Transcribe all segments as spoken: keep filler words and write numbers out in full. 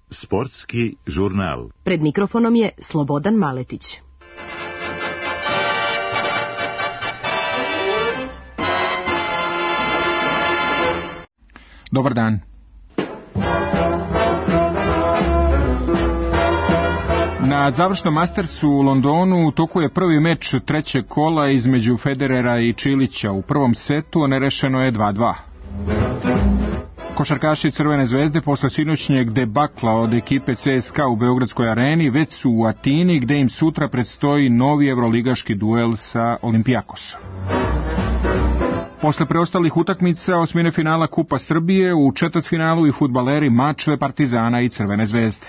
Sportski žurnal. Pred mikrofonom je Slobodan Maletić. Dobar dan. Na završnom Mastersu u Londonu u toku je prvi meč trećeg kola između Federera i Čilića. U prvom setu nerešeno je dva dva. Košarkaši Crvene zvezde posle sinoćnjeg debakla od ekipe C S K A u Beogradskoj areni već su u Atini, gde im sutra predstoji novi evroligaški duel sa Olimpijakosom. Posle preostalih utakmica osmine finala Kupa Srbije, u četvrtfinalu i fudbaleri Mačve, Partizana i Crvene zvezde.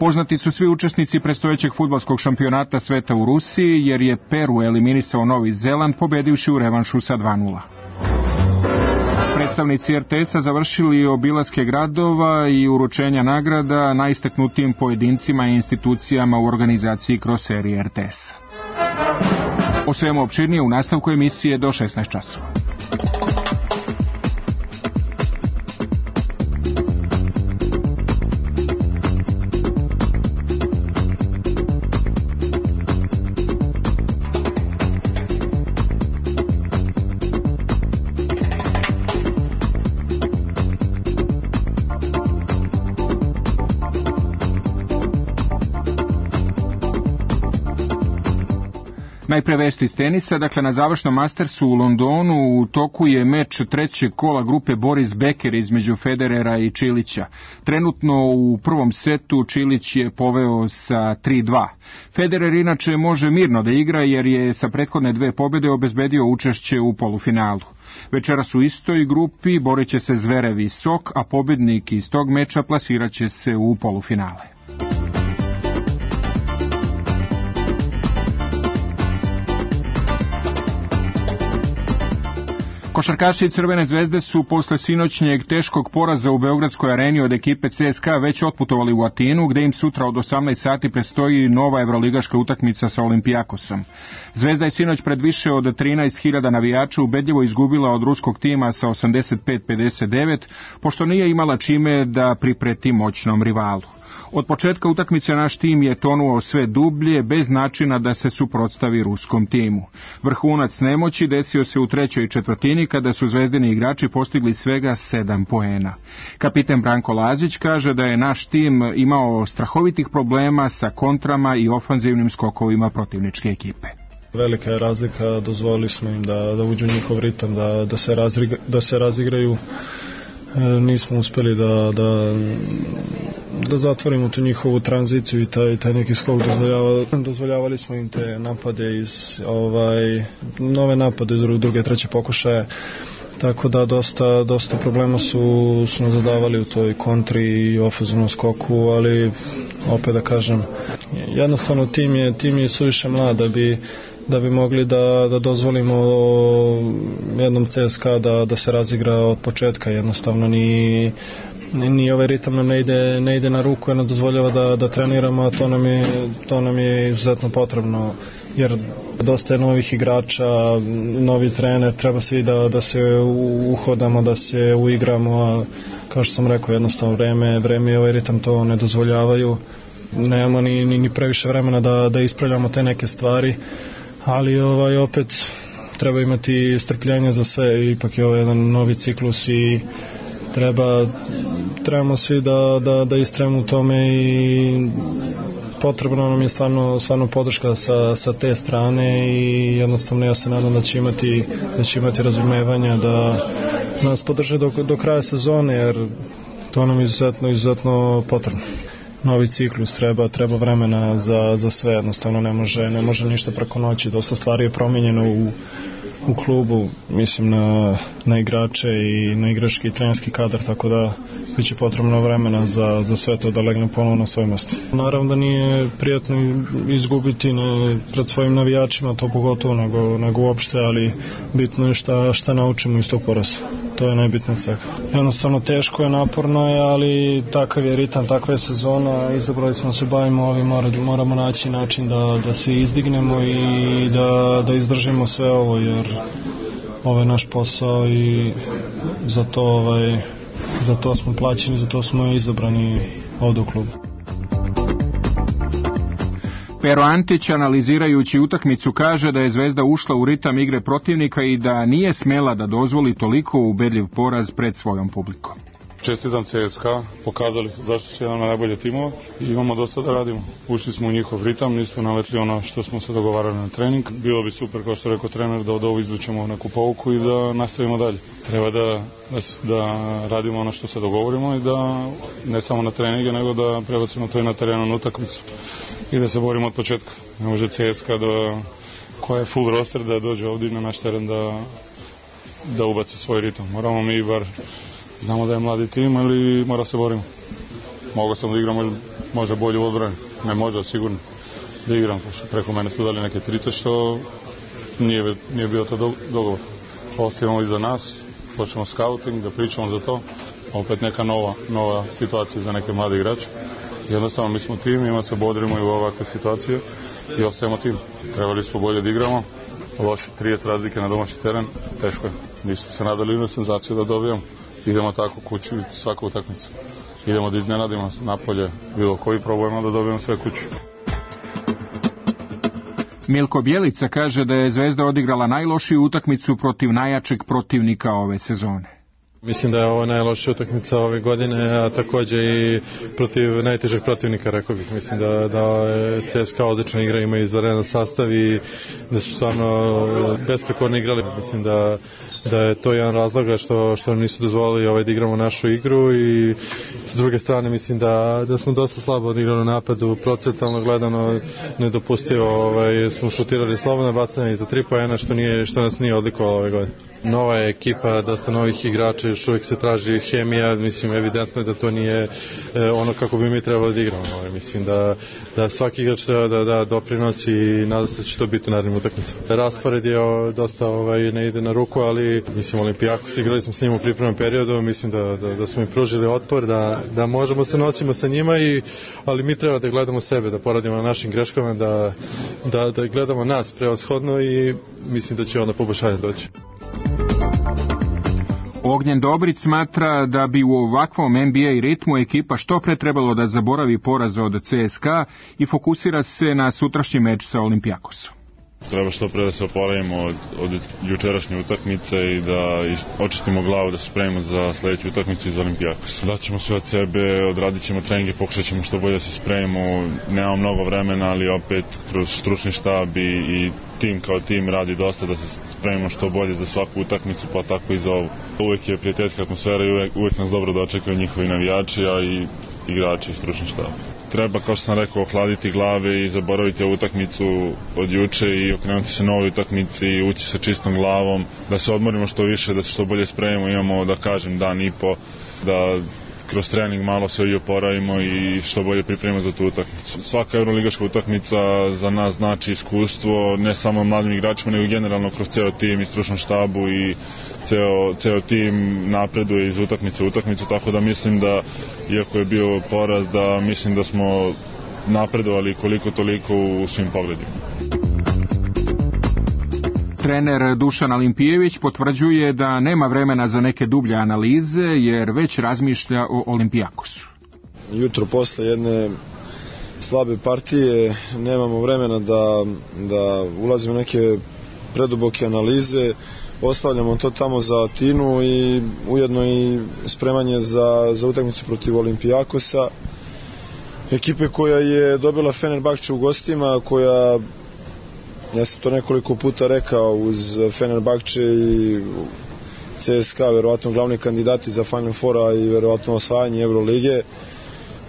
Poznati su svi učesnici predstojećeg fudbalskog šampionata sveta u Rusiji, jer je Peru eliminisao Novi Zeland pobedivši u revanšu sa dva nula. Predstavnici R T S-a završili obilaske gradova i uručenja nagrada najistaknutijim pojedincima i institucijama u organizaciji kroz serije R T S-a. O svemu opširnije u nastavku emisije do šesnaest časova. Najpre vesti iz tenisa, dakle na završnom Mastersu u Londonu u toku je meč trećeg kola grupe Boris Becker između Federera i Čilića. Trenutno u prvom setu Čilić je poveo sa tri dva. Federer inače može mirno da igra jer je sa prethodne dve pobjede obezbedio učešće u polufinalu. Večeras u istoj grupi borit će se Zverev i Sok, a pobjednik iz tog meča plasirat će se u polufinale. Košarkaši Crvene zvezde su posle sinoćnjeg teškog poraza u Beogradskoj areni od ekipe C S K A već otputovali u Atinu, gde im sutra od osamnaest sati predstoji nova evroligaška utakmica sa Olimpijakosom. Zvezda je sinoć pred više od trinaest hiljada navijača ubedljivo izgubila od ruskog tima sa osamdeset pet pedeset devet, pošto nije imala čime da pripreti moćnom rivalu. Od početka utakmice naš tim je tonuo sve dublje, bez načina da se suprotstavi ruskom timu. Vrhunac nemoći desio se u trećoj četvrtini, kada su zvezdini igrači postigli svega sedam poena. Kapiten Branko Lazić kaže da je naš tim imao strahovitih problema sa kontrama i ofanzivnim skokovima protivničke ekipe. Velika je razlika, dozvolili smo im da, da uđu u njihov ritam, da, da, se razriga, da se razigraju. E, nismo uspeli da, da, da zatvorimo tu njihovu tranziciju i taj, taj neki skok. Dozvoljava, dozvoljavali smo im te napade iz ovaj, nove napade iz druge, treće pokušaje. Tako da dosta, dosta problema su, su nas zadavali u toj kontri i ofenzivnom skoku, ali opet da kažem, jednostavno tim je, tim je suviše mlad da bi da bi mogli da, da dozvolimo jednom C S K A da, da se razigra od početka. Jednostavno ni, ni ovaj ritam nam ne ide, ne ide na ruku, jer nam dozvoljava da, da treniramo, a to nam je, to nam je izuzetno potrebno, jer dosta je novih igrača, novi trener, treba svi da, da se uhodamo, da se uigramo, a kao što sam rekao, jednostavno vreme, vreme i ovaj ritam to ne dozvoljavaju. Nemamo ni, ni, ni previše vremena da, da ispravljamo te neke stvari, ali ovaj, opet treba imati strpljenja za sve, ipak je ovo jedan novi ciklus i treba, trebamo svi da, da, da istrajemo u tome i potrebno nam je stvarno, stvarno podrška sa, sa te strane i jednostavno ja se nadam da će imati, da će imati razumevanja da nas podrže do, do kraja sezone, jer to nam je izuzetno, izuzetno potrebno. Novi ciklus, treba, treba vremena za, za sve, jednostavno ne može, ne može ništa preko noći, dosta stvari je promijenjeno u, u klubu, mislim na, na igrače i na igrački i trenerski kadar, tako da biće potrebno vremena za, za sve to da legne ponovno na svoje mjesto. Naravno da nije prijatno izgubiti ne, pred svojim navijačima, to pogotovo, nego, nego uopšte, ali bitno je šta, šta naučimo iz tog poraza. To je najbitnije od svega. Jednostavno teško je, naporno je, ali takav je ritam, takva je sezona, izabrali smo se bavimo ovim, moramo naći način da, da se izdignemo i da, da izdržimo sve ovo, jer ovaj naš posao i za to, ovaj, za to smo plaćeni, za to smo izabrani ovdje u klubu. Pero Antić, analizirajući utakmicu, kaže da je Zvezda ušla u ritam igre protivnika i da nije smela da dozvoli toliko ubedljiv poraz pred svojom publikom. Čestitam C S K A, pokazali zašto su jedan od najboljih timova i imamo dosta da radimo. Ušli smo u njihov ritam, nismo naletli ono što smo se dogovarali na trening. Bilo bi super, kao što je rekao trener, da od ovo izvučemo neku pouku i da nastavimo dalje. Treba da, da, da radimo ono što se dogovorimo i da ne samo na treninge, nego da prebacimo to i na terenu na utakmicu i da se borimo od početka. Ne može C S K A da, koja je full roster, da dođe ovdje na naš teren da, da ubaci svoj ritam. Moramo mi bar, znamo da je mladi tim, ali mora se borimo. Mogao sam da igram možda, možda bolje u odbrani. Ne možda, sigurno da igram. Preko mene su dali neke trice što nije, nije bio to dogovor. Ostavimo iza nas, počnemo scouting, da pričamo za to. Opet neka nova, nova situacija za neke mlade igrače. Jednostavno mi smo tim, ima se bodrimo i u ovakve situacije i ostajemo tim. Trebali smo bolje da igramo. Loše, trideset razlike na domaći teren, teško je. Nismo se nadali na senzaciju da dobijemo. Idemo tako kući svaku utakmicu. Idemo da iznenadimo napolje bilo koji probujemo da dobijemo sve kući. Milko Bjelica kaže da je Zvezda odigrala najlošiju utakmicu protiv najjačeg protivnika ove sezone. Mislim da je ovo najlošija utakmica ove godine, a također i protiv najtežeg protivnika, rekao bih. Mislim da, da C S K A odlična igra, ima izvanredan sastav i da su stvarno besprekorno igrali. Mislim da, da je to jedan razloga što, što nam nisu dozvolili ovaj, da igramo našu igru i s druge strane mislim da, da smo dosta slabo odigrali u napadu, procentalno gledano nedopustivo, ovaj, smo šutirali slobodna bacanja iza tri poena što, nije, što nas nije odlikovalo ove godine. Nova je ekipa, dosta novih igrača, još uvijek se traži hemija, mislim evidentno je da to nije e, ono kako bi mi trebali da igramo. Ovaj. Mislim da, da svaki igrač treba da, da doprinosi i nadam se da će to biti u narednim utakmicama. Raspored je o, dosta ovaj, ne ide na ruku, ali mislim Olimpijakos, igrali smo s njim u pripremnom periodu, mislim da, da, da smo im pružili otpor, da, da možemo se nosimo sa njima, i, ali mi treba da gledamo sebe, da poradimo na našim greškama, da, da, da gledamo nas prevashodno i mislim da će onda poboljšanje doći. Ognjen Dobrić smatra da bi u ovakvom N B A ritmu ekipa što pre trebalo da zaboravi poraz od C S K A i fokusira se na sutrašnji meč sa Olimpijakosom. Treba što pre da se oporavimo od, od jučerašnje utakmice i da očistimo glavu, da se spremimo za sljedeću utakmicu iz Olimpijakosa. Daćemo sve od sebe, odradit ćemo treninge, pokušat ćemo što bolje da se spremimo. Nemamo mnogo vremena, ali opet kroz stručni štab i, i tim kao tim radi dosta da se spremimo što bolje za svaku utakmicu, pa tako i za ovu. Uvijek je prijateljska atmosfera i uvijek, uvijek nas dobro dočekaju njihovi navijači, a i igrači i stručni štab. Treba, kao što sam rekao, ohladiti glave i zaboraviti ovu utakmicu od juče i okrenuti se novoj utakmici i ući sa čistom glavom, da se odmorimo što više, da se što bolje spremimo, imamo, da kažem, dan i po, da kroz trening malo se i oporavimo i što bolje pripremimo za tu utakmicu. Svaka euroligaška utakmica za nas znači iskustvo, ne samo mladim igračima, nego generalno kroz ceo tim i stručnom štabu, i ceo, ceo tim napreduje iz utakmice u utakmicu, tako da mislim da, iako je bio poraz, da mislim da smo napredovali koliko toliko u svim pogledima. Trener Dušan Alimpijević potvrđuje da nema vremena za neke dublje analize, jer već razmišlja o Olimpijakosu. Jutro posle jedne slabe partije nemamo vremena da, da ulazimo u neke preduboke analize, ostavljamo to tamo za Atinu i ujedno i spremanje za, za utakmicu protiv Olimpijakosa, ekipe koja je dobila Fenerbahče u gostima, koja, ja sam to nekoliko puta rekao, uz Fenerbahče i C S K A verovatno glavni kandidati za Final Foura i verovatno osvajanje Eurolige.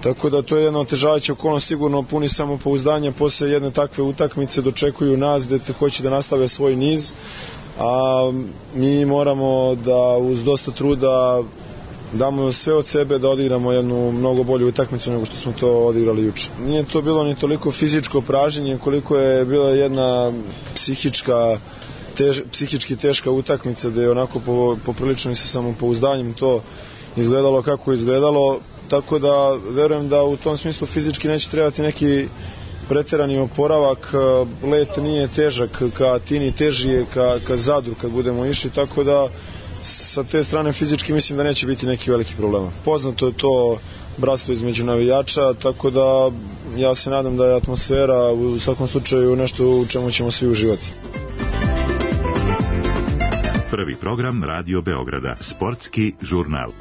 Tako da to je jedna otežavajuća okolnost, sigurno puni samopouzdanja posle jedne takve utakmice, dočekuju nas gde hoće da nastave svoj niz, a mi moramo da uz dosta truda damo sve od sebe da odigramo jednu mnogo bolju utakmicu nego što smo to odigrali juče. Nije to bilo ni toliko fizičko pražnjenje koliko je bila jedna psihička, tež, psihički teška utakmica gde je onako po, poprilično i sa samopouzdanjem to izgledalo kako je izgledalo, tako da verujem da u tom smislu fizički neće trebati neki preterani oporavak, let nije težak ka Atini, teži je ka, ka Zadru kad budemo išli, tako da sa te strane fizički mislim da neće biti neki veliki problema. Poznato je to bratstvo između navijača, tako da ja se nadam da je atmosfera u svakom slučaju nešto u čemu ćemo svi uživati. Prvi program Radio Beograda, sportski žurnal.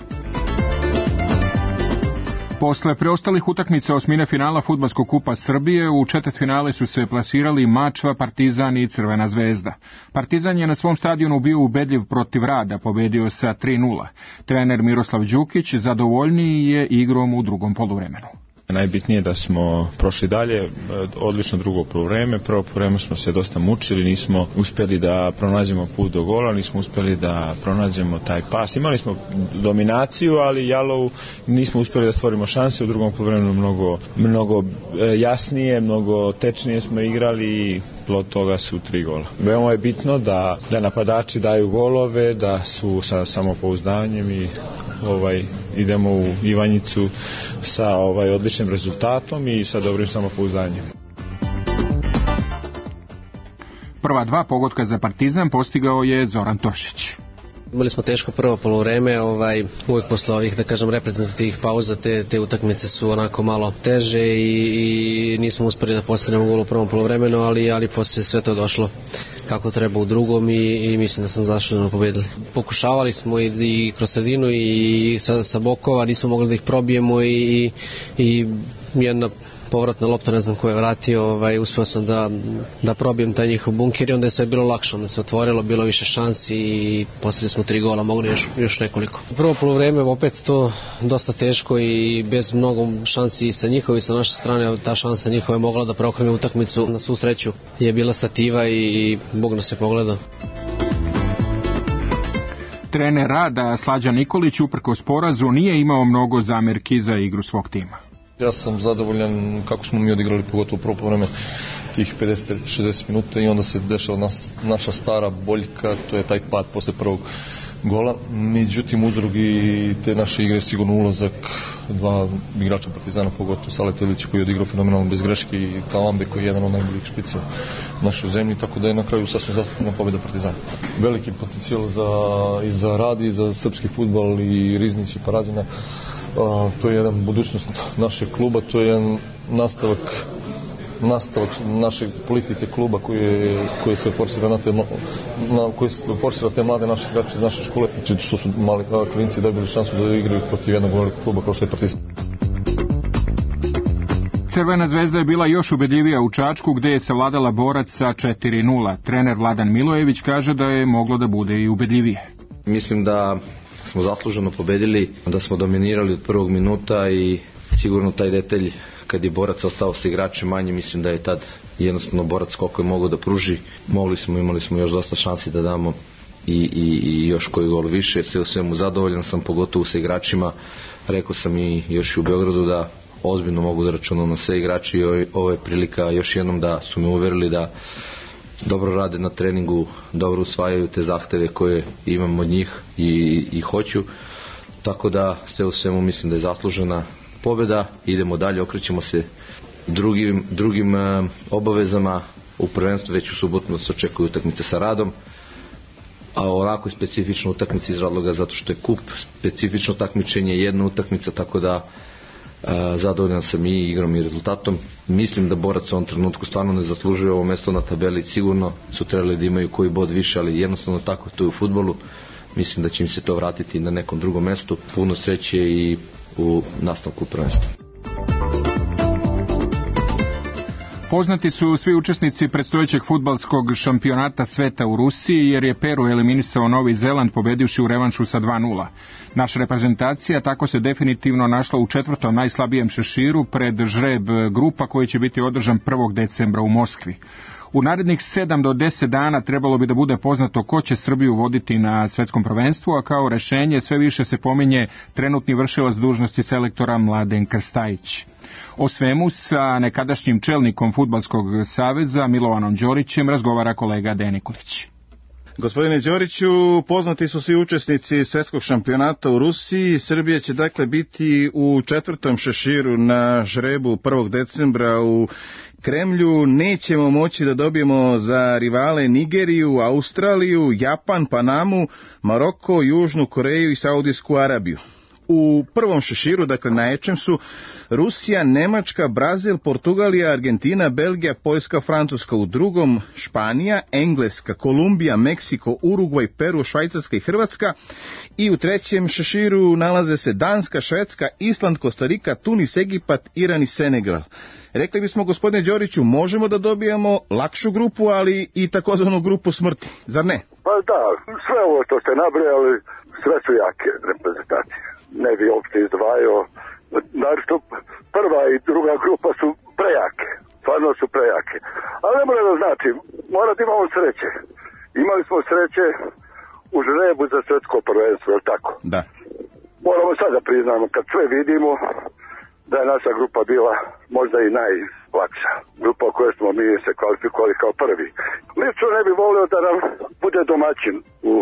Posle preostalih utakmica osmine finala Fudbalskog kupa Srbije, u četvrtfinale su se plasirali Mačva, Partizan i Crvena zvezda. Partizan je na svom stadionu bio ubedljiv protiv Rada, pobedio sa tri nula. Trener Miroslav Đukić zadovoljniji je igrom u drugom poluvremenu. Najbitnije je da smo prošli dalje, odlično drugo poluvreme. Prvo poluvreme smo se dosta mučili, nismo uspjeli da pronađemo put do gola, nismo uspjeli da pronađemo taj pas. Imali smo dominaciju, ali Jalov nismo uspjeli da stvorimo šanse. U drugom poluvremenu mnogo, mnogo jasnije, mnogo tečnije smo igrali i plod toga su tri gola. Veoma je bitno da, da napadači daju golove, da su sa samopouzdanjem i ovaj, idemo u Ivanjicu sa ovaj, odličnim rezultatom i sa dobrim samopouzdanjem. Prva dva pogotka za Partizan postigao je Zoran Tošić. Imali smo teško prvo poluvreme, ovaj, uvijek posle ovih, da kažem, reprezentativnih pauza, te, te utakmice su onako malo teže i, i nismo uspeli da postanemo gol u prvom poluvremenu, ali, ali posle sve to došlo kako treba u drugom i, i mislim da sam zasluženo pobedili. Pokušavali smo i, i kroz sredinu i sa, sa bokova, nismo mogli da ih probijemo i, i jedna povratna lopta, ne znam ko je vratio, ovaj, uspio sam da, da probijem taj njihov bunker i onda je sve bilo lakše, onda se otvorilo, bilo više šansi i poslije smo tri gola, mogli još, još nekoliko. Prvo poluvreme opet to dosta teško i bez mnogo šansi sa njihove i sa naše strane, ta šansa njihova je mogla da preokrene utakmicu. Na svu sreću je bila stativa i, i Bog nas je pogledao. Trener Rada Slađan Nikolić uprkos porazu nije imao mnogo zamerki za igru svog tima. Ja sam zadovoljan kako smo mi odigrali, pogotovo prvo poluvreme, tih pedeset do šezdeset minuta i onda se dešava nas, naša stara boljka, to je taj pad posle prvog gola. Međutim, uzrok i te naše igre je sigurno ulazak dva igrača Partizana, pogotovo Saleta Ilića koji je odigrao fenomenalno bez greške i Talambe koji je jedan od najboljih špica u našoj zemlji, tako da je na kraju sasvim zaslužena pobjeda Partizana. Veliki potencijal za, i za Rad i za srpski fudbal i Riznić i Paradina. Uh, to je jedan budućnost našeg kluba, to je jedan nastavak nastavak naše politike kluba koji, koji se forsira na te, na, koji se forsira te mlade naše igrače iz naše škole, što su mali klinci dobili šansu da igraju protiv jednog velikog kluba kao što je Partizan. Crvena zvezda je bila još ubedljivija u Čačku gdje je savladala Borac sa četiri nula. Trener Vladan Milojević kaže da je moglo da bude i ubedljivije. Mislim da smo zasluženo pobedili, da smo dominirali od prvog minuta i sigurno taj detalj kad je Borac ostao sa igračem manje, mislim da je tad jednostavno Borac koliko je mogao da pruži. Mogli smo, imali smo još dosta šansi da damo i, i, i još koji gol više. Sve u svemu zadovoljan sam, pogotovo sa igračima. Rekao sam i još u Beogradu da ozbiljno mogu da računam na sve igrači i ovo je prilika još jednom da su me uverili da dobro rade na treningu, dobro usvajaju te zahteve koje imam od njih i, i hoću. Tako da sve u svemu mislim da je zaslužena pobjeda. Idemo dalje, okrećemo se drugim, drugim uh, obavezama. U prvenstvu već u subotu nas očekuju utakmice sa Radom, a onako specifična utakmica iz razloga zato što je kup, specifično takmičenje, jedna utakmica, tako da uh, zadovoljan sam i igrom i rezultatom. Mislim da Borac u ovom trenutku stvarno ne zaslužuje ovo mesto na tabeli, sigurno su trebali da imaju koji bod više, ali jednostavno tako to je u fudbalu. Mislim da će im se to vratiti na nekom drugom mestu. Puno sreće i u nastavku prvenstva. Poznati su svi učesnici predstojećeg fudbalskog šampionata sveta u Rusiji, jer je Peru eliminisao Novi Zeland pobedivši u revanšu sa dva nula. Naša reprezentacija tako se definitivno našla u četvrtom najslabijem šeširu pred žreb grupa koji će biti održan prvog decembra u Moskvi. U narednih sedam do deset dana trebalo bi da bude poznato ko će Srbiju voditi na svetskom prvenstvu, a kao rešenje sve više se pominje trenutni vršilac dužnosti selektora Mladen Krstajić. O svemu sa nekadašnjim čelnikom Fudbalskog saveza Milovanom Đorićem razgovara kolega Dejan Nikolić. Gospodine Đoriću, poznati su svi učesnici svjetskog šampionata u Rusiji. Srbija će dakle biti u četvrtom šeširu na žrebu prvog decembra u Kremlju. Nećemo moći da dobijemo za rivale Nigeriju, Australiju, Japan, Panamu, Maroko, Južnu Koreju i Saudijsku Arabiju. U prvom šeširu, dakle najjačem, su Rusija, Nemačka, Brazil, Portugalija, Argentina, Belgija, Poljska, Francuska. U drugom Španija, Engleska, Kolumbija, Meksiko, Urugvaj, Peru, Švajcarska i Hrvatska. I u trećem šeširu nalaze se Danska, Švedska, Island, Kostarika, Tunis, Egipat, Iran i Senegal. Rekli bismo, gospodine Đoriću, možemo da dobijemo lakšu grupu, ali i takozvanu grupu smrti, zar ne? Pa da, sve ovo što ste nabrojali, sve su jake reprezentacije. Ne bi uopšte izdvajao. Naravno, prva i druga grupa su prejake. Stvarno su prejake. Ali ne mora da znači, mora da imamo sreće. Imali smo sreće u žrebu za svjetsko prvenstvo, je li tako? Da. Moramo sad da priznamo, kad sve vidimo, da je naša grupa bila možda i najlakša. Grupa u kojoj smo mi se kvalifikovali kao prvi. Lično ne bi volio da nam bude domaćin u...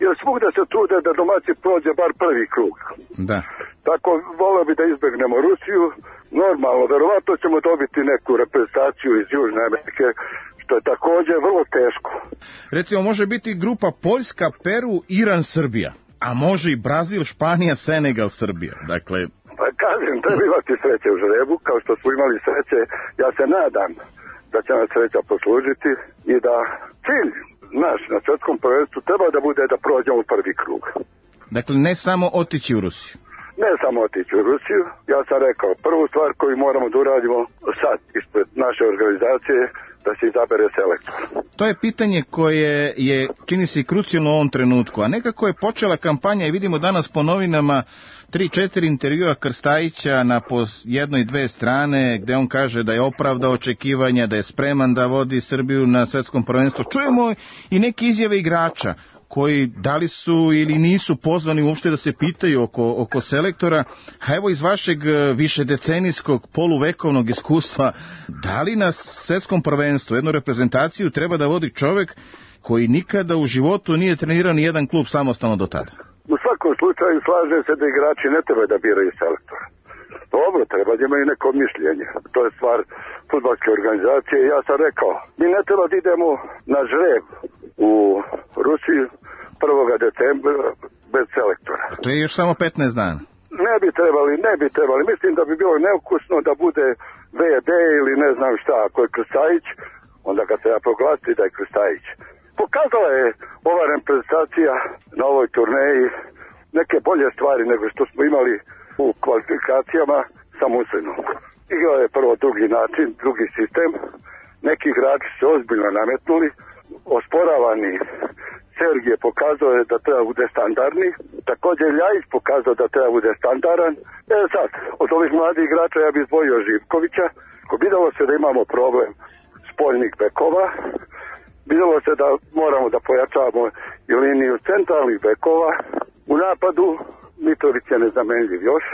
Jer svugde se trude da domaći prođe bar prvi krug. Da. Tako volio bi da izbegnemo Rusiju. Normalno, verovatno ćemo dobiti neku reprezentaciju iz Južne Amerike, što je također vrlo teško. Recimo, može biti grupa Poljska, Peru, Iran, Srbija. A može i Brazil, Španija, Senegal, Srbija. Dakle... Pa kažem, treba imati sreće u žrebu, kao što smo imali sreće. Ja se nadam da će nam sreća poslužiti i da cilj naš na svjetskom prvenstvu treba da bude da prođemo u prvi krug. Dakle, ne samo otići u Rusiju. Ne samo otići u Rusiju. Ja sam rekao, prvu stvar koju moramo da uradimo sad ispred naše organizacije, da se izabere selektor. To je pitanje koje je, čini se, krucijalno u ovom trenutku. A nekako je počela kampanja i vidimo danas po novinama tri, četiri intervjua Krstajića na po jednoj, dve strane, gde on kaže da je opravdao očekivanja, da je spreman da vodi Srbiju na svetskom prvenstvu. Čujemo i neke izjave igrača koji da li su ili nisu pozvani uopšte da se pitaju oko, oko selektora. A evo iz vašeg višedecenijskog poluvekovnog iskustva, da li na svetskom prvenstvu jednu reprezentaciju treba da vodi čovek koji nikada u životu nije trenirao ni jedan klub samostalno do tada? U svakom slučaju slažem se da igrači ne treba da biraju selektora. Dobro, treba da imaju neko mišljenje. To je stvar fudbalske organizacije. Ja sam rekao, mi ne treba da idemo na žreb u Rusiju prvog decembra bez selektora. To je još samo petnaest dana. Ne bi trebali, ne bi trebali. Mislim da bi bilo neukusno da bude V D ili ne znam šta, ako je Krstajić, onda kad se ja proglasi da je Krstajić. Pokazala je ova reprezentacija na ovoj turneji neke bolje stvari nego što smo imali u kvalifikacijama sa Muslinom. Igrao je prvo drugi način, drugi sistem. Neki igrači se ozbiljno nametnuli. Osporavani Sergije pokazao je da treba bude standardni. Također Ljajić pokazao da treba bude standardan. E sad, od ovih mladih igrača ja bih izdvojio Živkovića. Videlo se da imamo problem spoljnih bekova. Videlo se da moramo da pojačavamo i liniju centralnih bekova. U napadu Mitrović je nezamenljiv još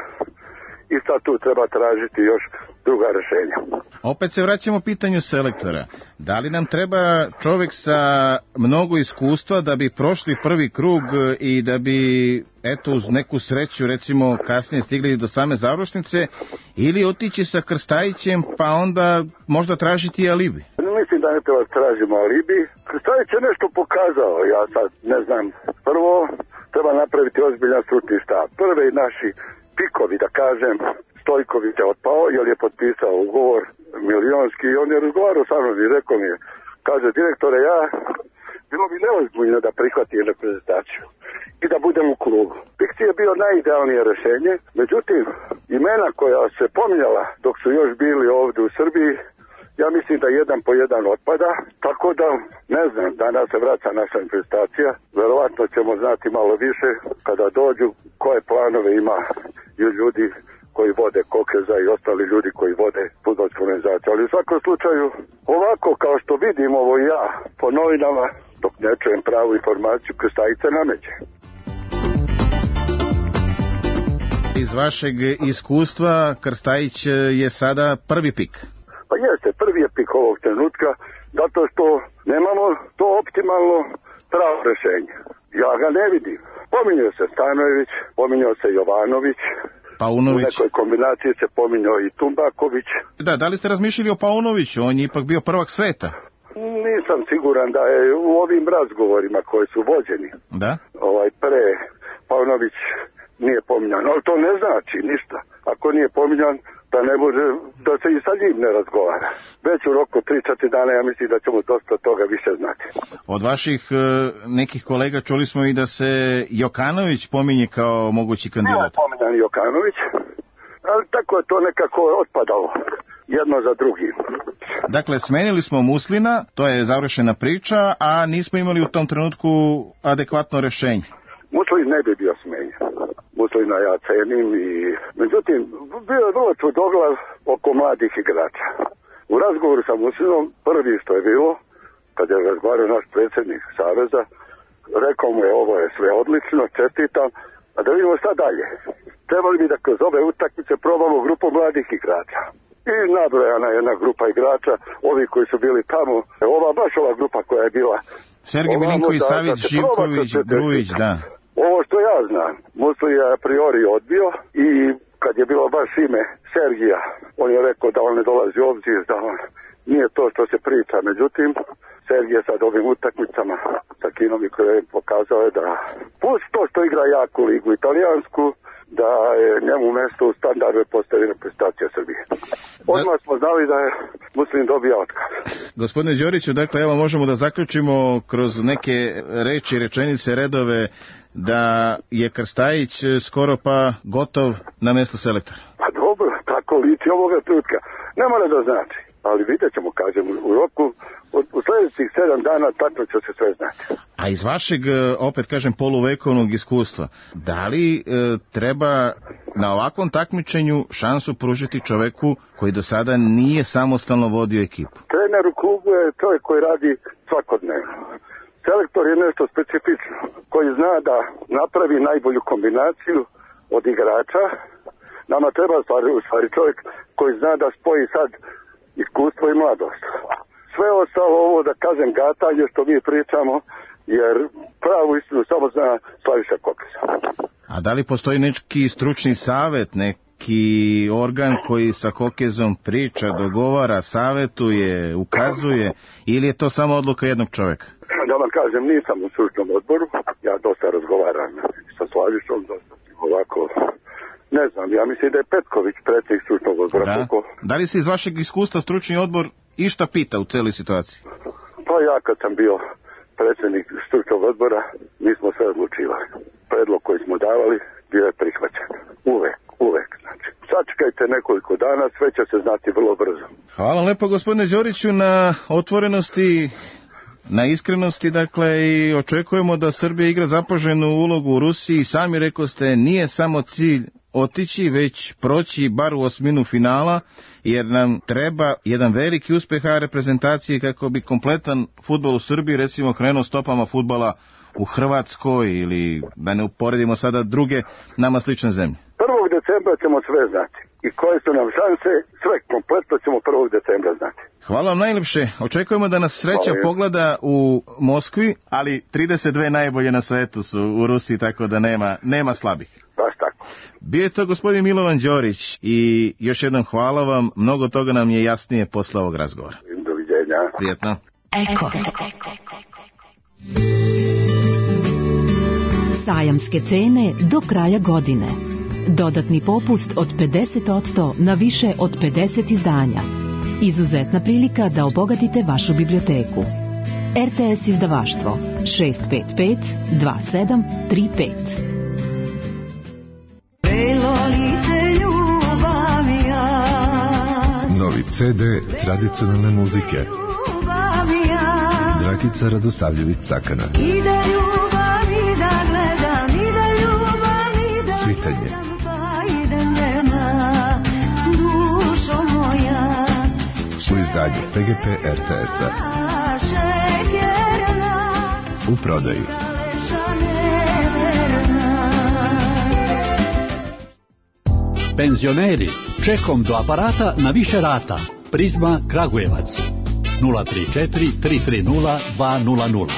i sad tu treba tražiti još druga rešenja. Opet se vraćamo pitanju selektora. Da li nam treba čovjek sa mnogo iskustva da bi prošli prvi krug i da bi, eto, uz neku sreću, recimo, kasnije stigli do same završnice, ili otići sa Krstajićem pa onda možda tražiti alibi? Mislim da ne treba tražimo alibi. Krstajić je nešto pokazao, ja sad ne znam. Prvo, treba napraviti ozbiljan stručni štab. Prve naši pikovi, da kažem, Stojković je otpao, jer je potpisao ugovor milionski i on je razgovarao sa mnom i rekao mi je, kaže, direktore, ja bilo bi neozbiljno da prihvati reprezentaciju i da budem u klubu. Piksi je bio najidealnije rešenje, međutim, imena koja se pominjala dok su još bili ovdje u Srbiji, ja mislim da jedan po jedan otpada, tako da, ne znam, danas se vraća naša reprezentacija, verovatno ćemo znati malo više kada dođu koje planove ima i ljudi koji vode Kokeza i ostali ljudi koji vode fudbalsku organizaciju. Ali u svakom slučaju, ovako kao što vidim ovo ja po novinama, dok ne čujem pravu informaciju, Krstajića nameće. Iz vašeg iskustva Krstajić je sada prvi pik. Pa jeste, prvi je pik ovog trenutka, zato što nemamo to optimalno pravo rešenje. Ja ga ne vidim. Pominjao se Stanojević, pominjao se Jovanović, Paunović. U nekoj kombinaciji se pominjao i Tumbaković. Da, da li ste razmišljali o Paunoviću? On je ipak bio prvak sveta. Nisam siguran da je u ovim razgovorima koji su vođeni. Da? Ovaj pre Paunović nije pominjan, ali to ne znači ništa. Ako nije pominjan, da ne može, da se i sa njim ne razgovara. Već u roku tri četiri dana ja mislim da ćemo dosta toga više znati. Od vaših e, nekih kolega čuli smo i da se Jokanović pominje kao mogući kandidat. Nije pominjan Jokanović, ali tako je to nekako otpadalo jedno za drugim. Dakle, smenili smo Muslina, to je završena priča, a nismo imali u tom trenutku adekvatno rešenje. Muslin ne bi bio smenjen. Muslina ja cenim i... Međutim, bio je vrlo čudoglav oko mladih igrača. U razgovoru sa Muslinom, prvi što je bilo, kad je razgovarao naš predsjednik Saveza, rekao mu je ovo je sve odlično, čestitam, a da vidimo šta dalje. Trebali bi da kroz ove utakmice probamo grupu mladih igrača. I nabrojana jedna grupa igrača, ovi koji su bili tamo, ova baš ova grupa koja je bila... Sergej Milinković, Savić, Živković, Grujić, da. Ovo što ja znam, Muslin je a priori odbio i kad je bilo baš ime Sergija, on je rekao da on ne dolazi u obzir, da on nije to što se priča. Međutim, Sergije sad ovim utakmicama sa Kinom i koje je pokazao je da plus to što igra jaku ligu italijansku, da je njemu mesto u standardu postavljena prestacija Srbije. Odmah smo znali da je Muslin dobio otkaz. Gospodine Đoriću, dakle, evo možemo da zaključimo kroz neke reči, rečenice, redove da je Krstajić skoro pa gotov na mjesto selektora. Pa dobro, tako liči ovoga trenutka. Ne mora da znači, ali vidjet ćemo, kažem, u roku, od, u sljedećih sedam dana tako će se sve znati. A iz vašeg, opet kažem, poluvekovnog iskustva, da li e, treba na ovakvom takmičenju šansu pružiti čoveku koji do sada nije samostalno vodio ekipu? Trener u klubu je čovjek koji radi svakodnevno. Selektor je nešto specifično, koji zna da napravi najbolju kombinaciju od igrača. Nama treba stvari, u stvari čovjek koji zna da spoji sad iskustvo i mladost. Sve ostalo ovo, da kažem, gatanje što mi pričamo, jer pravu istinu samo zna Slaviša Kokes. A da li postoji neki stručni savjet, neki organ koji sa Kokezom priča, dogovara, savjetuje, ukazuje, ili je to samo odluka jednog čovjeka? Da vam kažem, nisam u stručnom odboru, ja dosta razgovaram sa Slavišom, dosta ovako, ne znam, ja mislim da je Petković predsjednik stručnog odbora. Da. Koliko... da li se iz vašeg iskustva stručni odbor išta pita u celoj situaciji? Pa ja kad sam bio predsjednik stručnog odbora, mi smo sve odlučivali. Predlog koji smo davali bio je prihvaćen. Uvek, uvek. Znači, sačekajte nekoliko dana, sve će se znati vrlo brzo. Hvala lepo gospodine Đoriću na otvorenosti, na iskrenosti, dakle, i očekujemo da Srbija igra zapaženu ulogu u Rusiji. Sami rekao ste, nije samo cilj otići, već proći bar u osminu finala, jer nam treba jedan veliki uspeh A reprezentacije kako bi kompletan fudbal u Srbiji, recimo, krenuo stopama fudbala u Hrvatskoj ili da ne uporedimo sada druge nama slične zemlje. prvog decembra ćemo sve znati. I koje su nam šanse, sve kompletno ćemo prvog decembra znati. Hvala vam najljepše. Očekujemo da nas sreća Hvala. pogleda u Moskvi, ali trideset dve najbolje na svetu su u Rusiji, tako da nema, nema slabih. Baš tako. Bio je to gospodin Milovan Đorić i još jednom hvala vam. Mnogo toga nam je jasnije posle ovog razgovora. Doviđenja. Prijetno. Eko. Sajamske cene do kraja godine. Dodatni popust od pedeset posto na više od pedeset izdanja. Izuzetna prilika da obogatite vašu biblioteku. R T S izdavaštvo šest pet pet dva sedam tri pet. Novi C D tradicionalne muzike. Dragica Radosavljević-Cakana. Svitanje. U izdanju P G P R T S-a. U prodaji. Penzioneri, čekom do aparata na više rata. Prizma Kragujevac. nula tri četiri tri tri nula dva nula nula.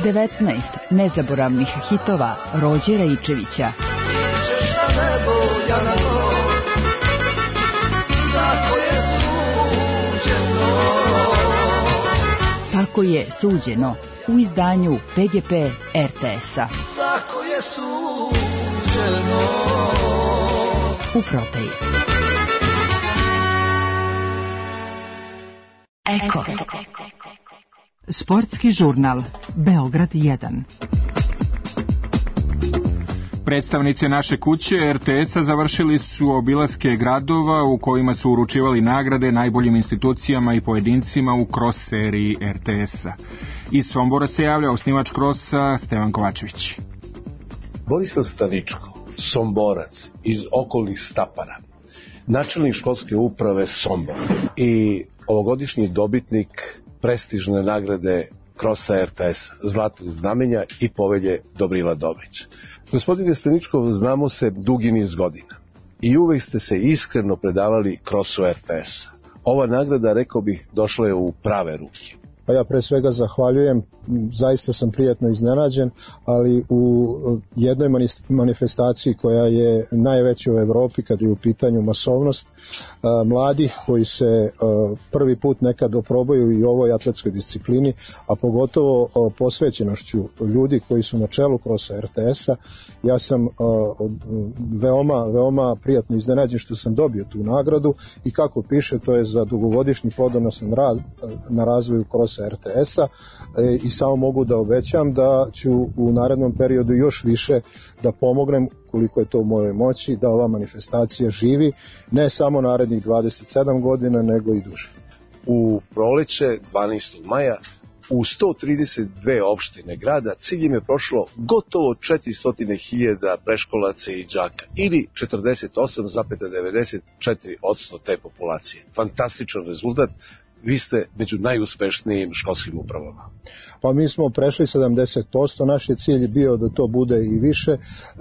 devetnaest nezaboravnih hitova Rođe Raičevića. Tako je suđeno u izdanju P G P R T S-a. Tako je suđeno. U prodaji. Eko. Sportski žurnal Beograd jedan. Predstavnici naše kuće R T S-a završili su obilaske gradova u kojima su uručivali nagrade najboljim institucijama i pojedincima u kros seriji R T S-a. Iz Sombora se javlja osnivač krosa Stevan Kovačević. Borislav Staničko, Somborac iz okolnih Stapara, načelnik školske uprave Sombor i ovogodišnji dobitnik prestižne nagrade krosa R T S, Zlatnog znamenja i povelje Dobrila Dobrić. Gospodine Staničkov, znamo se dugi niz godina i uvek ste se iskreno predavali krosu R T S. Ova nagrada, rekao bih, došla je u prave ruke. Pa ja pre svega zahvaljujem, zaista sam prijatno iznenađen, ali u jednoj manifestaciji koja je najveća u Evropi kad je u pitanju masovnost, mladi koji se prvi put nekad oprobaju i ovoj atletskoj disciplini, a pogotovo posvećenošću ljudi koji su na čelu krosa R T S-a, ja sam veoma, veoma prijatno iznenađen što sam dobio tu nagradu i kako piše, to je za dugogodišnji plodonosan rad na razvoju krosa R T S-a i samo mogu da obećam da ću u narednom periodu još više da pomognem koliko je to u mojoj moći da ova manifestacija živi ne samo narednih dvadeset sedam godina nego i duže. U proleće dvanaestog maja u sto trideset dve opštine grada ciljem je prošlo gotovo četiristo hiljada preškolaca i đaka ili četrdeset osam zarez devedeset četiri posto te populacije. Fantastičan rezultat. Vi ste među najuspešnijim školskim upravama. Pa mi smo prešli sedamdeset posto, naš je cilj bio da to bude i više,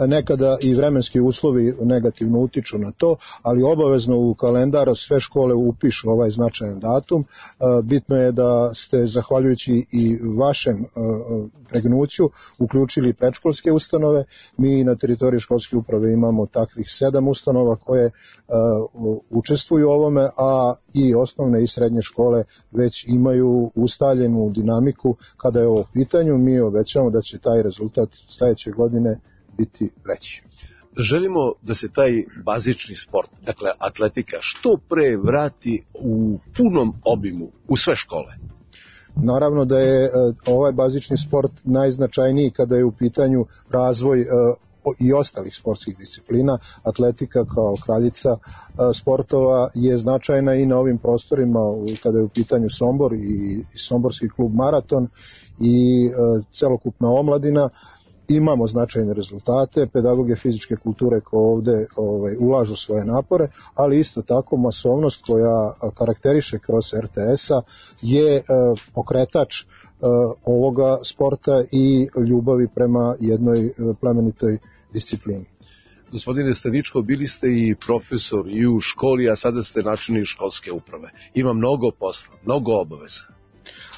nekada i vremenski uslovi negativno utiču na to, ali obavezno u kalendar sve škole upišu ovaj značajan datum. Bitno je da ste, zahvaljujući i vašem pregnuću, uključili predškolske ustanove. Mi na teritoriji školske uprave imamo takvih sedam ustanova koje učestvuju u ovome, a i osnovne i srednje škole već imaju ustaljenu dinamiku kada je ovo pitanju. Mi obećamo da će taj rezultat sledeće godine biti veći. Želimo da se taj bazični sport, dakle atletika, što pre vrati u punom obimu u sve škole. Naravno da je ovaj bazični sport najznačajniji kada je u pitanju razvoj i ostalih sportskih disciplina. Atletika kao kraljica sportova je značajna i na ovim prostorima kada je u pitanju Sombor i Somborski klub Maraton i celokupna omladina. Imamo značajne rezultate, pedagoge fizičke kulture koje ovde ovaj, ulažu svoje napore, ali isto tako masovnost koja karakteriše kroz R T S-a je eh, pokretač eh, ovoga sporta i ljubavi prema jednoj plemenitoj disciplini. Gospodine Staničko, bili ste i profesor i u školi, a sada ste načelnik školske uprave. Ima mnogo posla, mnogo obaveza.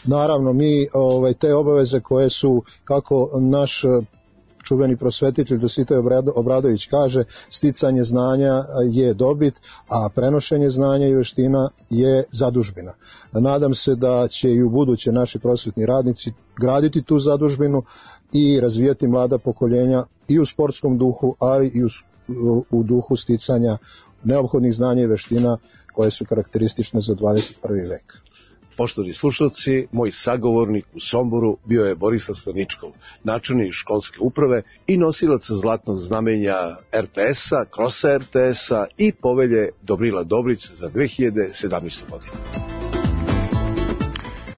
Naravno, mi ovaj, te obaveze koje su, kako naš čuveni prosvetitelj Dositej Obradović kaže, sticanje znanja je dobit, a prenošenje znanja i veština je zadužbina. Nadam se da će i u buduće naši prosvetni radnici graditi tu zadužbinu i razvijati mlada pokoljenja i u sportskom duhu, ali i u, u duhu sticanja neophodnih znanja i veština koje su karakteristične za dvadeset prvi vek. Poštovani slušalci, moj sagovornik u Somboru bio je Borislav Staničkov, načelnik školske uprave i nosilac zlatnog znamenja R T S-a, krosa R T S-a i povelje Dobrila Dobrić za dve hiljade sedamnaestu. godinu.